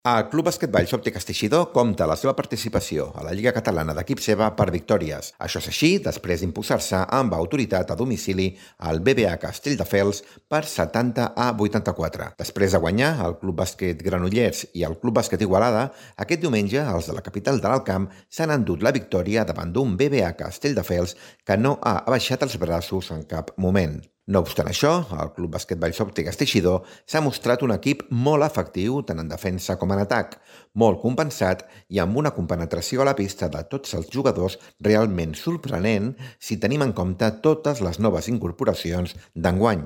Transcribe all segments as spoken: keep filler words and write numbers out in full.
El Club Bàsquet Valls Òptiques Teixidor compta la seva participació a la Lliga Catalana d'Equips EVA per victòries. Això és així després d'imposar-se amb autoritat a domicili al B B A Castelldefels per setanta a vuitanta-quatre. Després de guanyar el Club Bàsquet Granollers i el Club Bàsquet Igualada, aquest diumenge els de la capital de l'Alt Camp s'han endut la victòria davant d'un B B A Castelldefels que no ha abaixat els braços en cap moment. No obstant això, el Club Bàsquet Valls Òptiques Teixidor s'ha mostrat un equip molt efectiu tant en defensa com en atac, molt compensat i amb una compenetració a la pista de tots els jugadors realment sorprenent si tenim en compte totes les noves incorporacions d'enguany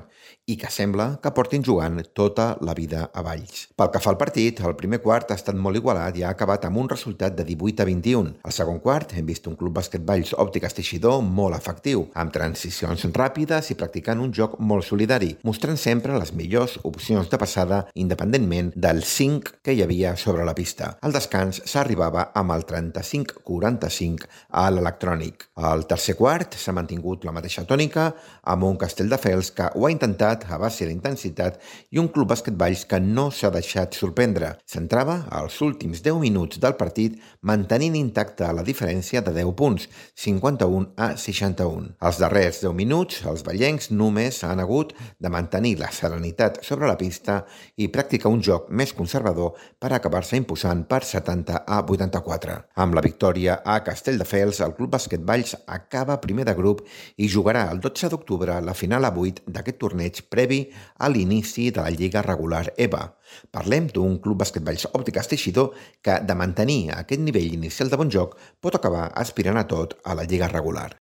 i que sembla que portin jugant tota la vida a Valls. Pel que fa al partit, el primer quart ha estat molt igualat i ha acabat amb un resultat de divuit a vint-i-un. Al segon quart hem vist un Club Bàsquet Valls Òptiques Teixidor molt efectiu, amb transicions ràpides i practicant un joc molt solidari, mostrant sempre les millors opcions de passada independentment del cinc que hi havia sobre la pista. Al descans s'arribava amb el trenta-cinc quaranta-cinc a l'electrònic. Al tercer quart s'ha mantingut la mateixa tònica amb un Castelldefels que ho ha intentat a base d'intensitat i un Club Bàsquet Valls que no s'ha deixat sorprendre. S'entrava als últims deu minuts del partit mantenint intacta la diferència de deu punts, cinquanta-un a seixanta-un. Als darrers deu minuts, els vallencs només han hagut de mantenir la serenitat sobre la pista i practicar un joc més conservador per acabar-se imposant per setanta a vuitanta-quatre. Amb la victòria a Castelldefels, el Club Bàsquet Valls acaba primer de grup i jugarà el dotze d'octubre la final a vuit d'aquest torneig previ a l'inici de la Lliga regular EVA. Parlem d'un Club Bàsquet Valls Òptiques Teixidor que, de mantenir aquest nivell inicial de bon joc, pot acabar aspirant a tot a la Lliga regular.